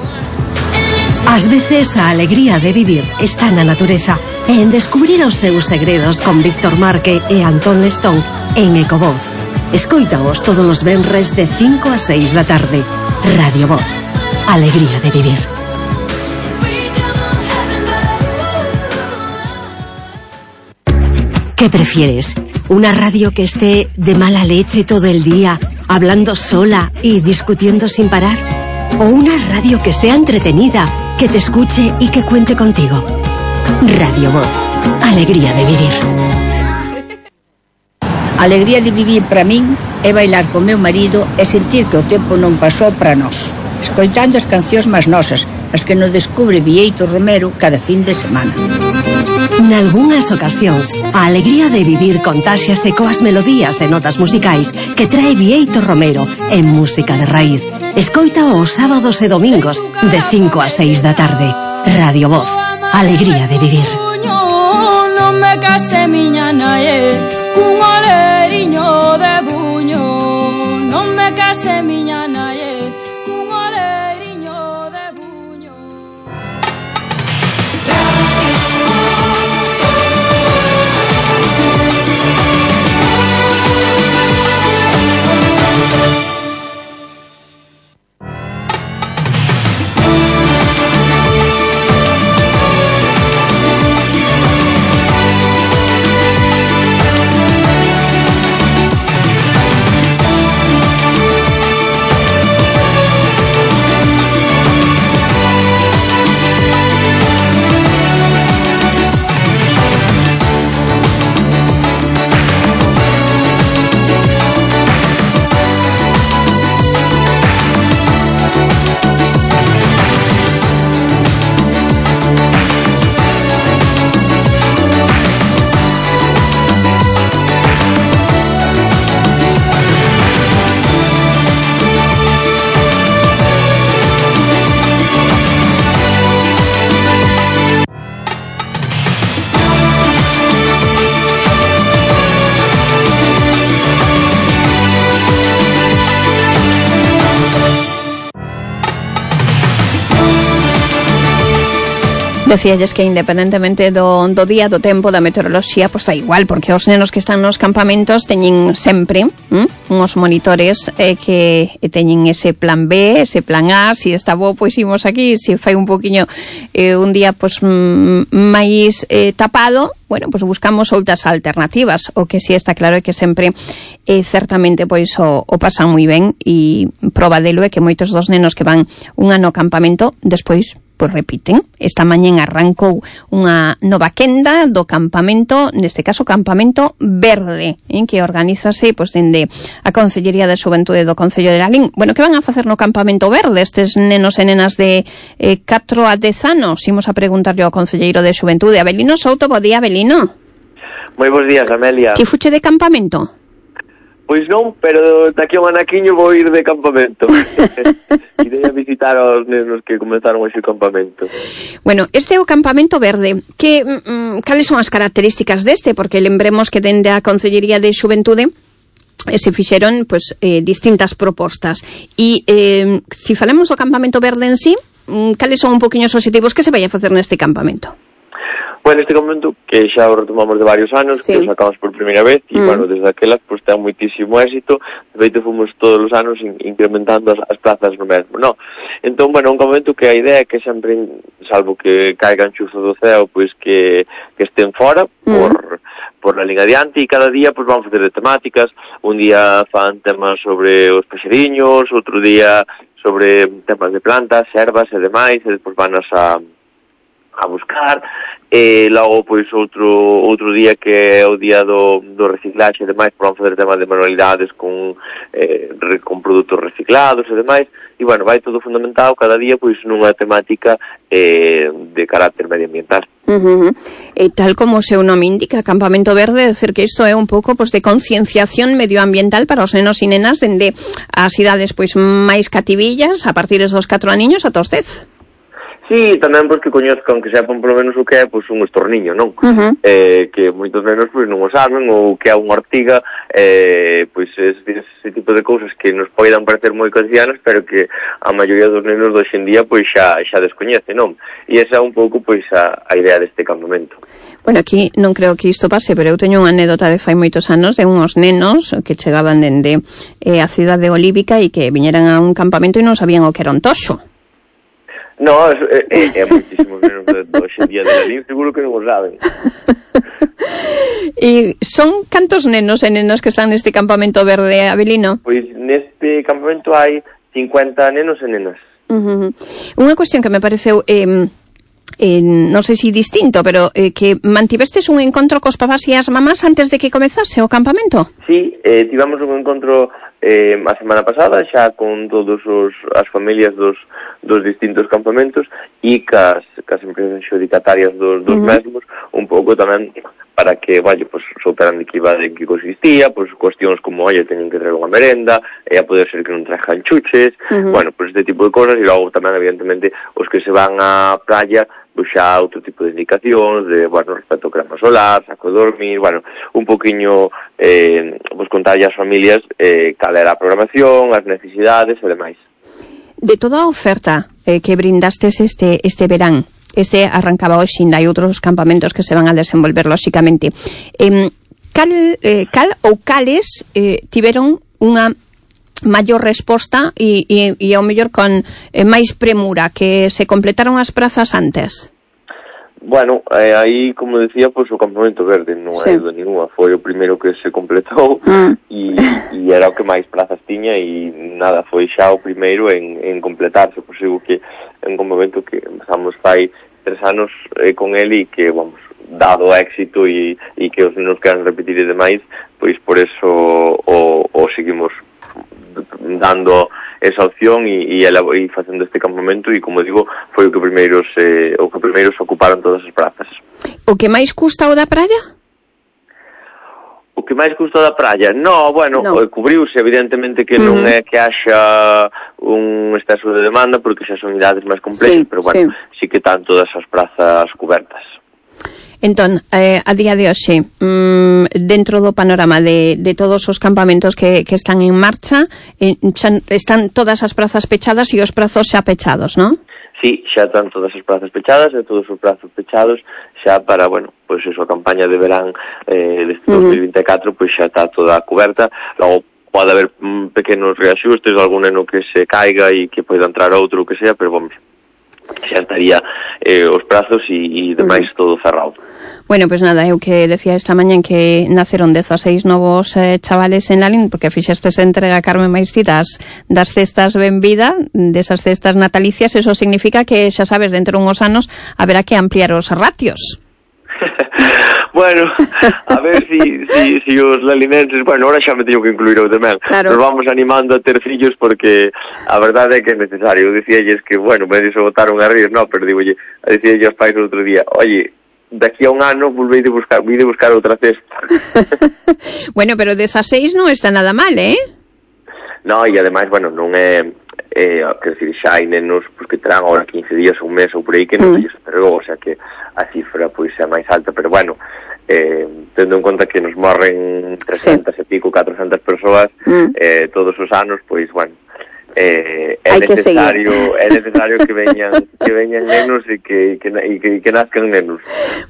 Ás veces a alegría de vivir está na natureza e en descubrir os seus segredos con Víctor Marque e Antón Lestón en Ecovoz. Escoítaos todos os venres de 5 a 6 da tarde. Radio Voz. Alegría de vivir. ¿Qué prefieres? ¿Una radio que esté de mala leche todo el día, hablando sola y discutiendo sin parar? ¿O una radio que sea entretenida, que te escuche y que cuente contigo? Radio Voz. Alegría de vivir. Alegría de vivir para min é bailar con meu marido e sentir que o tempo non pasou para nós, escoitando as cancións máis nosas, as que nos descubre Vieito Romero cada fin de semana. Nalgúnas ocasións, a alegría de vivir contáxiase coas melodías e notas musicais que trae Vieito Romero en música de raíz. Escoita os sábados e domingos de 5 a 6 da tarde. Radio Voz. Alegría de vivir. Non me case miña nae cun oleriño de buño. Non me case miña nae cun oleriño de buño. Decíalles que independentemente do día, do tempo, da meteoroloxía, pois da igual, porque os nenos que están nos campamentos teñen sempre uns monitores que teñen ese plan B, ese plan A, se está bo, pois imos aquí, se fai un poquinho un día pois máis tapado, bueno, pois buscamos outras alternativas. O que si está claro é que sempre certamente pois o pasan moi ben, e proba delo é que moitos dos nenos que van un ano ao campamento despois pois repiten. Esta mañén arrancou unha nova quenda do campamento, neste caso campamento verde, que organízase pois dende a Consellería de Xuventude do Concello de Lalín. Bueno, que van a facer no campamento verde estes nenos e nenas de 4 a 10 anos? Imos a preguntarlle ao concelleiro de Xuventude, Abelino Souto. Bo día, Abelino. Moi bons días, Amelia. Que fuche de campamento? Pois non, pero daqui a un anaquiño vou ir de campamento. Irei a visitar aos nenos que comenzaron hoxe o campamento. Bueno, este é o campamento verde. Cales son as características deste? Porque lembremos que dende a Concellería de Xuventude se fixeron pois, distintas propostas. E se falamos do campamento verde en sí, cales son un poquinho os objetivos que se vai a facer neste campamento? Bueno, este campamento, que xa o retomamos de varios anos, sí, que o sacamos por primeira vez, e, bueno, desde aquelas, pois, ten moitísimo éxito. De feito, fomos todos os anos incrementando as plazas no mesmo, no? Entón, bueno, un campamento que a idea é que sempre, salvo que caigan chuzos do ceo, pois, que estén fora, por la liga adiante, e cada día, pois, vamos facer de temáticas. Un día fan temas sobre os paxeriños, outro día sobre temas de plantas, ervas e demais, e despois vanas a buscar, e logo pois outro día que é o día do reciclaxe e demais, vamos fazer temas de manualidades con produtos reciclados e demais, e bueno, vai todo fundamentado cada día pois nunha temática de carácter medioambiental. E tal como o seu nome indica, Campamento Verde, decir que isto é un pouco pois de concienciación medioambiental para os nenos e nenas dende as idades pois máis cativillas, a partir dos 4 aniños ata os 10. Sí, tamén pois que coñezcan, que sepan polo menos o que é pois un estorniño, non? Que moitos nenos pois non o saben, ou que é unha ortiga, pois ese tipo de cousas que nos poidan parecer moi cotidianas, pero que a maioría dos nenos hoxe en día pois xa descoñece, non? E esa é un pouco pois a idea deste campamento. Bueno, aquí non creo que isto pase, pero eu teño unha anécdota de fai moitos anos de unhos nenos que chegaban dende a cidade olívica e que viñeran a un campamento e non sabían o que era un toxo. No, é moitísimos nenos de hoxe en día de Lalín, seguro que non o saben. E son cantos nenos e nenas que están neste campamento verde, Abelino? Pois neste campamento hai 50 nenos e nenas. Unha cuestión que me pareceu non sei se distinto, pero que mantivestes un encontro cos papás e as mamás antes de que comezase o campamento? Sí, tivamos un encontro a semana pasada xa con todos as familias dos distintos campamentos e cas empresas xudicatarias dos mesmos, un pouco tamén para que, pues, souperan de que consistía, pues, cuestións como, teñen que traer unha merenda, a poder ser que non trajan chuches, bueno, pues este tipo de cosas, e logo tamén, evidentemente, os que se van á playa, pues xa outro tipo de indicacións, de, bueno, respecto ao crema solar, saco de dormir, bueno, un poquinho, pues, contarlle ás familias cal era a programación, as necesidades e demais. De toda a oferta que brindastes este verán, este arrancaba hoxe, ainda hai outros campamentos que se van a desenvolver, lóxicamente. Cal ou cales tiveron unha maior resposta e ao mellor con máis premura, que se completaron as prazas antes? Bueno, aí, como decía, pois o campamento verde non hai dúda ninguna, foi o primeiro que se completou e era o que máis plazas tiña e nada, foi xa o primeiro en completarse, pois digo que é un campamento que empezamos fai 3 anos con ele e que, vamos, dado éxito e que os nenos queran repetir e demais, pois por eso o seguimos dando esa opción e facendo este campamento e, como digo, foi o que primeiro se ocuparon todas as prazas. O que máis custa o da praia? O que máis custa da praia? No, bueno, cubriuse, evidentemente que non é que haxa un exceso de demanda, porque xa son idades máis complexas, pero bueno, sí que están todas as prazas cubertas. Entón, a día de hoxe, dentro do panorama de todos os campamentos que están en marcha, están todas as prazas pechadas e os prazos xa pechados, non? sí, xa están todas as plazas pechadas e todos os prazos pechados xa para, bueno, pois a campaña de verán deste 2024 pois xa está toda coberta. Logo pode haber pequenos reaxustes, algún neno que se caiga e que poida entrar outro, o que sea, pero, vamos, xa estaría os prazos e demais todo cerrado. Bueno, pues nada, eu que decía esta mañá que naceron 16 novos chavales en Lalín, porque fixestes entrega, Carmen Maiscidas, das cestas ben vida, desas cestas natalicias. Eso significa que, xa sabes, dentro de uns anos haberá que ampliar os ratios. Bueno, a ver si os lalinenses, bueno, ahora xa me teño que incluir eu tamén. Claro. Nos vamos animando a ter fillos porque a verdade é que é necesario. Eu dicíalles que, bueno, me se botaron a rir, no, pero digo, dicíalles aos pais o outro día, oye, daqui a un ano volvei de buscar outra cesta. Bueno, pero desas 6 non está nada mal, No, e ademais, bueno, non é quer decir, xa hai nenos pues, que terán ahora 15 días, un mes ou por aí que non se entregou, o sea que a cifra pois é máis alta, pero bueno, tendo en conta que nos morren 300 e pico, 400 persoas todos os anos, pois bueno, é necesario que veñan nenos e que nazcan nenos.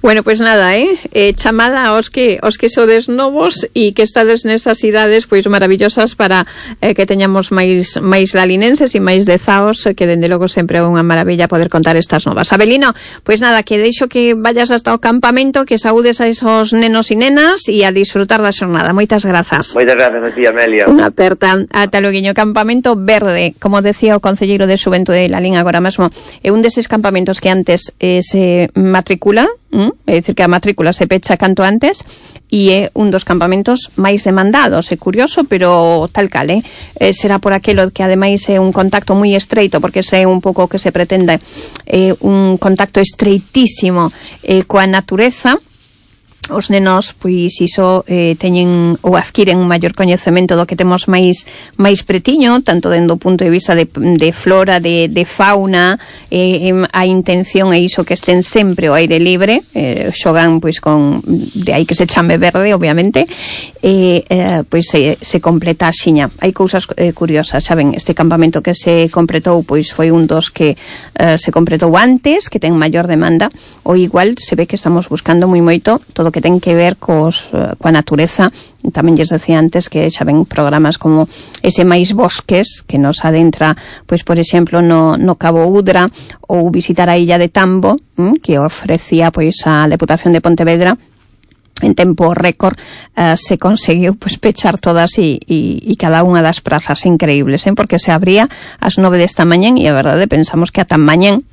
Bueno, pues nada, chamada aos que sodes novos e que estades nesas idades pois maravillosas para que teñamos máis lalinenses e máis dezaos, que dende logo sempre é unha maravilla poder contar estas novas. Abelino, pues nada, que deixo que vayas hasta o campamento, que saúdes a esos nenos e nenas e a disfrutar da xornada. Moitas grazas. Moitas grazas a ti, Amelia. Unha aperta ata loguiño. Campamento Verde, como decía o concelleiro de Xuventude de Lalín agora mesmo, é un deses campamentos que antes se matricula, é dicir que a matrícula se pecha canto antes, e é un dos campamentos máis demandados. É curioso, pero tal cal, será por aquelo que ademais é un contacto moi estreito, porque é un pouco que se pretende un contacto estreitísimo coa natureza. Os nenos, pois, iso teñen ou adquiren un maior coñecemento do que temos máis pretiño, tanto dentro do punto de vista de flora, de fauna, a intención é iso, que estén sempre ao aire libre, xogan, pois, de aí que se chame verde, obviamente, pois se completa a xiña. Hai cousas curiosas, xa ven, este campamento que se completou, pois, foi un dos que se completou antes, que ten maior demanda, ou igual se ve que estamos buscando moi moito todo que ten que ver coa natureza. Tamén lles decía antes que xa ven programas como ese máis bosques que nos adentra, pois por exemplo no Cabo Udra, ou visitar a illa de Tambo, que ofrecía pois a Deputación de Pontevedra. En tempo récord se conseguiu pois pechar todas e cada unha das prazas increíbles, porque se abría ás 9 desta mañán e a verdade pensamos que ata mañán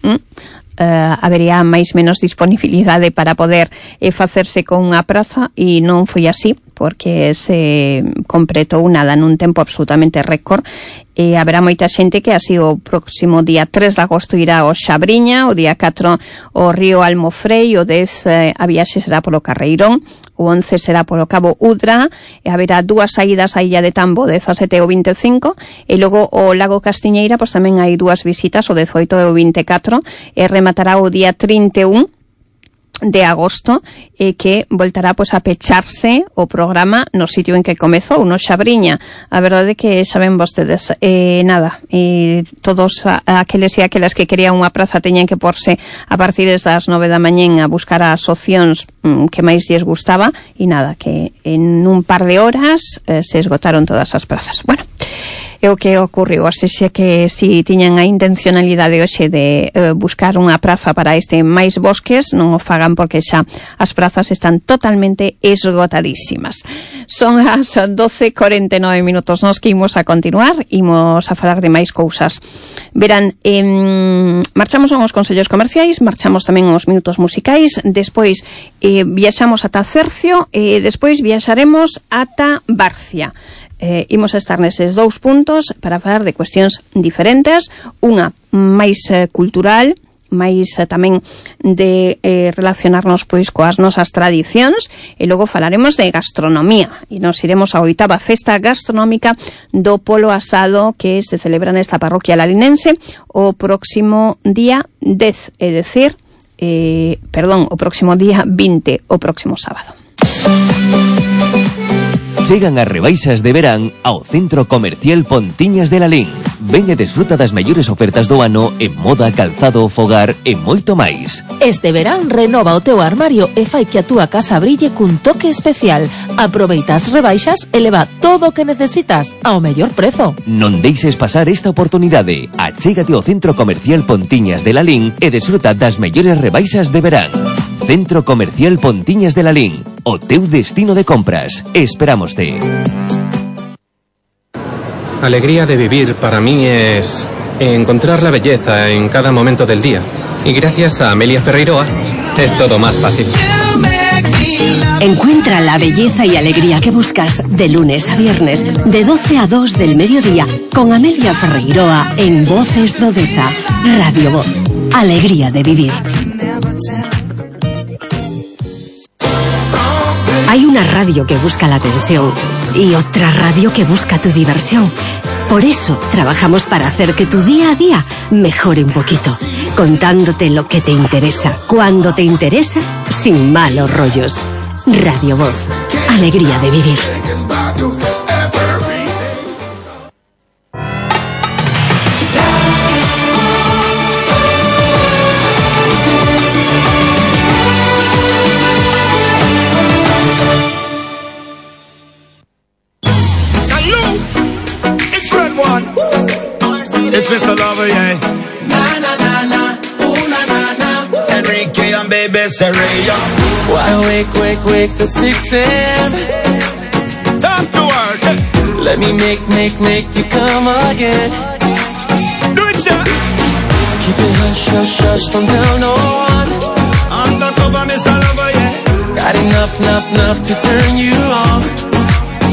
habería máis menos disponibilidade para poder facerse con unha praza, e non foi así, porque se completou nada nun tempo absolutamente récord. Haberá moita xente que así o próximo día 3 de agosto irá ao Xabriña, o día 4 ao río Almofrei, o 10 a viaxe será polo Carreirón, o 11 será polo Cabo Udra, e haberá 2 saídas á illa de Tambo, 17 e o 25, e logo o Lago Castiñeira, pois tamén hai 2 visitas, o 18 e o 24, e rematará o día 31 de agosto, que voltará pois a pecharse o programa no sitio en que comezou, no Xabriña. A verdade que xa ven vostedes, todos aqueles e aquelas que querían unha praza teñan que porse a partir das 9 da mañén a buscar as opcións que máis lles gustaba, e nada, que en un par de horas se esgotaron todas as prazas. Bueno, é o que ocorreu, así que si tiñan a intencionalidade hoxe de buscar unha praza para este máis bosques, non o fagan, porque xa as prazas están totalmente esgotadísimas. Son as 12:49 minutos, nos que imos a continuar, imos a falar de máis cousas. Verán, marchamos aos consellos comerciais, marchamos tamén aos minutos musicais, despois viaxamos ata Cercio, e despois viaxaremos ata Barcia. Imos a estar neses 2 puntos para falar de cuestións diferentes, unha máis cultural, máis tamén de relacionarnos pois coas nosas tradicións, e logo falaremos de gastronomía, e nos iremos á 8ª festa gastronómica do Polo Asado, que se celebra nesta parroquia lalinense o próximo día 10, é dicir, o próximo día 20, o próximo sábado. Chegan as rebaixas de verán ao Centro Comercial Pontiñas de Lalín. ven e desfruta das mellores ofertas do ano en moda, calzado, fogar e moito máis. Este verán renova o teu armario e fai que a túa casa brille cun toque especial. Aproveita as rebaixas e leva todo o que necesitas ao mellor prezo. Non deixes pasar esta oportunidade. Achégate ao Centro Comercial Pontiñas de Lalín e desfruta das mellores rebaixas de verán. Centro Comercial Pontiñas de Lalín, o teu destino de compras. Esperámoste. Alegría de vivir para mí es encontrar la belleza en cada momento del día. Y gracias a Amelia Ferreiroa es todo más fácil. Encuentra la belleza y alegría que buscas de lunes a viernes, de 12 a 2 del mediodía, con Amelia Ferreiroa en Voces do Deza. Radio Voz. Alegría de vivir. Hay una radio que busca la atención y otra radio que busca tu diversión. Por eso trabajamos para hacer que tu día a día mejore un poquito, contándote lo que te interesa, cuando te interesa, sin malos rollos. Radio Voz. Alegría de vivir. It's Mr. Lover, yeah. Na na na na, ooh na na na. Enrique and baby Serena. Why wake to 6 a.m. Time to work. Let me make you come again. Do it, yeah. Keep it hush, don't tell no one. Undercover, Mr. Lover, yeah. Got enough to turn you on.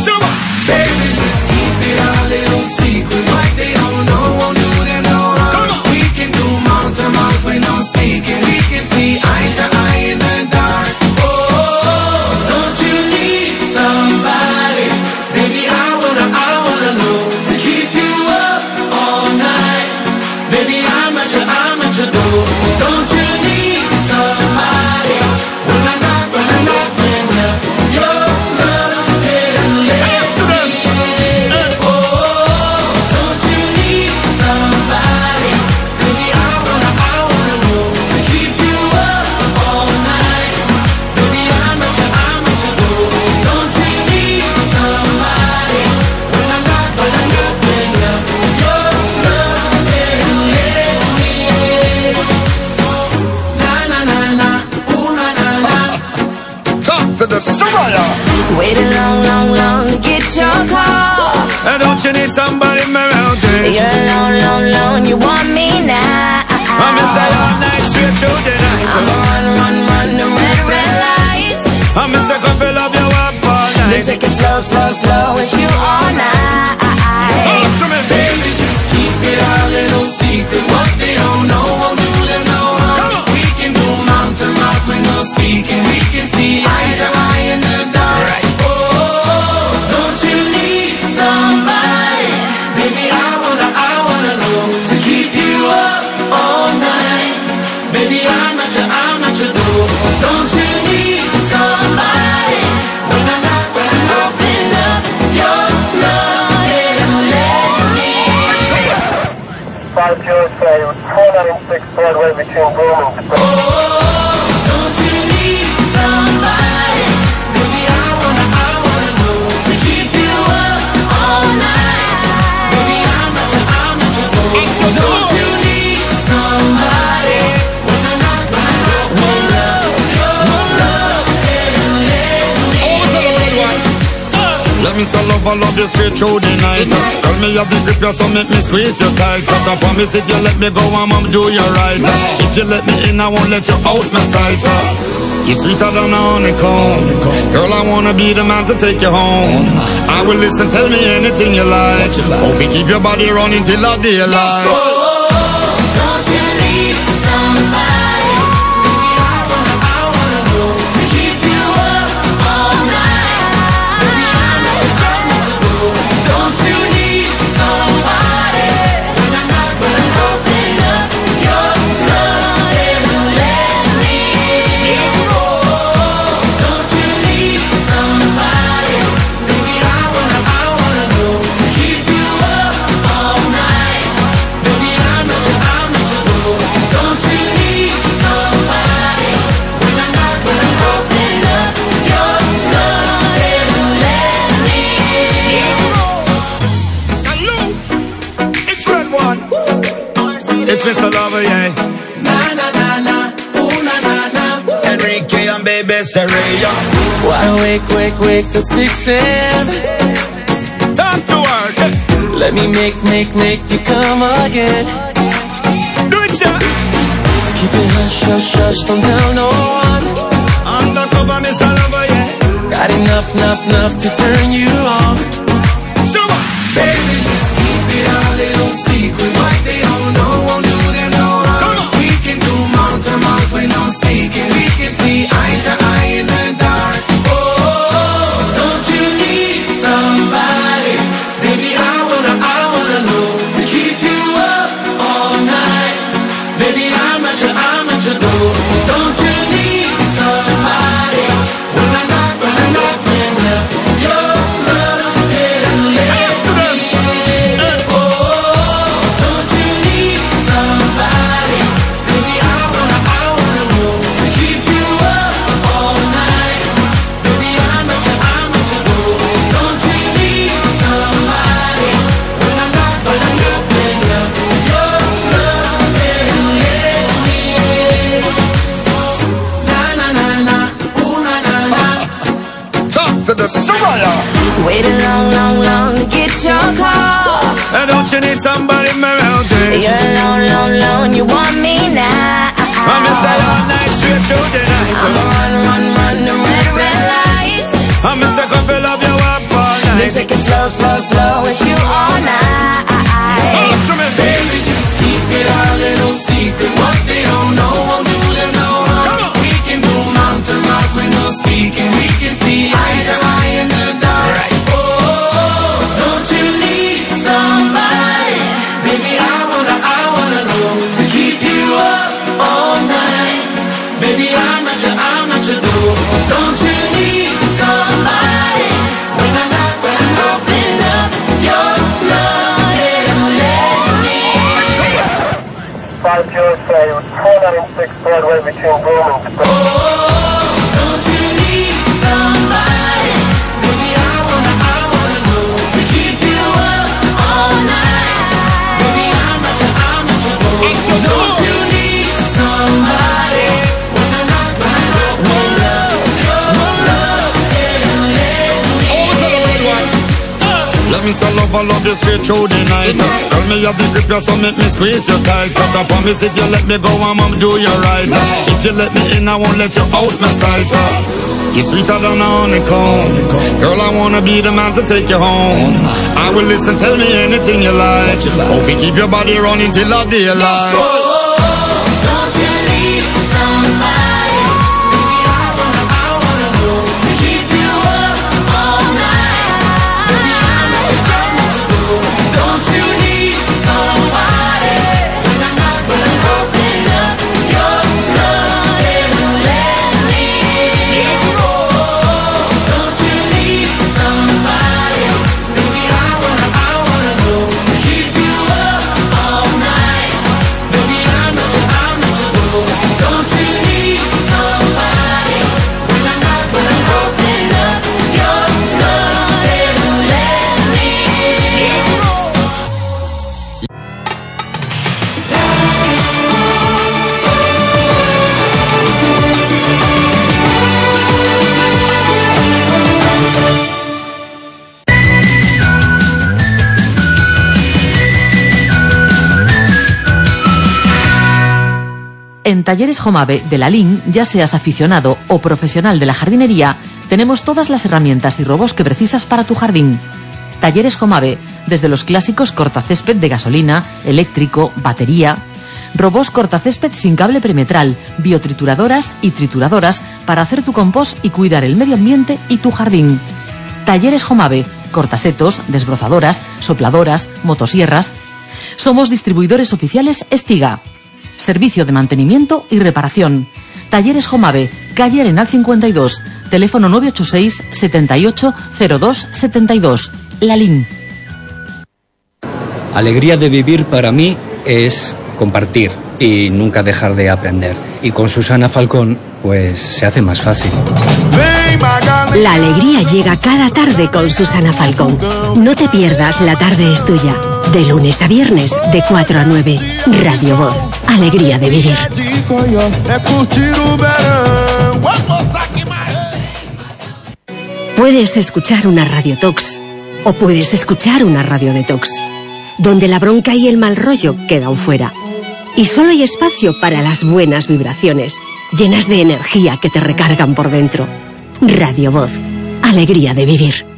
Show up. Baby, just keep it a little secret. Like they don't know, won't do them no harm. We can do mouth to mouth with no speaking. We can see eye to eye in the dark. Oh, don't you need somebody? Baby, I wanna know to keep you up all night. Baby, I'm at your door. Don't you need somebody? When I knock, your love and let me in. Oh, don't you need somebody? Baby, I wanna know to keep you up all night. Baby, I'm at your door. Don't you need somebody? When I knock, your love and let me in. Na na na na, ooh na na na. Talk to the Soraya. Waited long to get your call. And don't you need somebody around this? You're alone, you want me now. I'm inside all night, straight through the night. I'm run the red lights. I'm a couple of you up all night. Then take it slow with you all night. Talk to me, baby, just keep it a little secret. What they don't know won't do them no harm. We can do mouth to mouth with no speaking. We can see eye to eye in the dark. Oh, don't you need somebody? Baby, I wanna know to keep you up all night. Baby, I'm at your door. Don't you need somebody? When I knock, open up your love and let me in. 507, 496 Broadway between Blooming. Oh, don't you need somebody? Baby, I wanna know to keep you up all night. Baby, I'm at your door. Don't you need somebody? When I knock, open up your love and let me in. Let me sell love you straight through the night. Tell me you grip you so make me squeeze you tight. Cause I promise if you let me go, I'ma do you right. If you let me in, I won't let you out my sight. You're sweeter than a honeycomb. Girl, I wanna be the man to take you home. I will listen, tell me anything you like. Hope you keep your body running till the daylight. Don't you need somebody? Baby, I wanna know to keep you up all night. Baby, I'm at your door. Don't you need somebody? When I knock, open up your love and let me in. Oh, don't you need somebody? Baby, I wanna know to keep you up all night. necessary. Why wake till 6 a.m. Time to work. Let me make you come again. Do it, yeah. Keep it hush, don't tell no one. Undercover, Mr. Lover, yeah. Got enough to turn you on. Show up. Baby, just keep it a little secret. What they don't know won't do them no harm. We can do mouth to mouth with no speaking. We can see eye to eye in the dark. Oh, don't you need somebody? Baby, I wanna know to keep you up all night. Baby, I'm at your door. Don't you need somebody? When I knock, your love can let me in. Oh, don't you need somebody? Baby, I wanna know to keep you up all night. Baby, I'm at your door. Don't you need somebody? When I knock, your love can let me in. Na na na na, ooh na na na. Talk to the Soraya. Waited long to get your call. And don't you need somebody around there? You're alone, you want me now. I'm inside all night, straight through the night. Run, the red lights. I'm a couple of you up all Then night. take it slow with you all night. Talk to me, Baby, just keep it a little secret. What they don't know won't do them no harm. We can do mouth to mouth with no speaking. We can see eye to eye in the dark. Oh, don't you need somebody? Baby, I wanna know to keep you up all night. Baby, I'm at your door. Don't you need somebody? When I knock, open up your love and let me in. 505, 496 Broadway between Broome and Oh, don't you need somebody? Baby, I wanna know to keep you up all night. Baby, I'm at your door. Don't you need somebody? When I knock, open up your love and let me in. let me sell love, I love you straight through the night. Tell me you have the grip, you so make me squeeze you tight. Cause I promise if you let me go, I'ma do you right. If you let me in, I won't let you out my sight. You're sweeter than a honeycomb. Girl, I wanna be the man to take you home. I will listen, tell me anything you like. Hope you keep your body running till the daylight. Don't you need somebody? Baby, I wanna know to keep you up all night. Baby, I'm at your door. Don't you need somebody? When I knock, open up your love and let me in. Oh, don't you need somebody? Baby, I wanna know to keep you up all night. Baby, I'm at your door. Don't you need somebody? When I knock, open up your love and let me in. En Talleres Jomave de la LIN, ya seas aficionado o profesional de la jardinería, tenemos todas las herramientas y robos que precisas para tu jardín. Talleres Jomave, desde los clásicos cortacésped de gasolina, eléctrico, batería, robos cortacésped sin cable perimetral, biotrituradoras y trituradoras para hacer tu compost y cuidar el medio ambiente y tu jardín. Talleres Jomave, cortasetos, desbrozadoras, sopladoras, motosierras. Somos distribuidores oficiales Estiga. Servicio de mantenimiento y reparación. Talleres Jomave, calle Arenal 52, teléfono 986 78 02 72. La LIN. Alegría de vivir para mí es compartir y nunca dejar de aprender. Y con Susana Falcón, pues se hace más fácil. La alegría llega cada tarde con Susana Falcón. No te pierdas La Tarde es Tuya. De lunes a viernes, de 4 a 9. Radio Voz. Alegría de vivir. É curtir o verão. Puedes escuchar una radiotox o puedes escuchar una radiodetox, donde la bronca y el mal rollo quedan fuera. Y solo hay espacio para las buenas vibraciones, llenas de energía que te recargan por dentro. Radio Voz, alegría de vivir.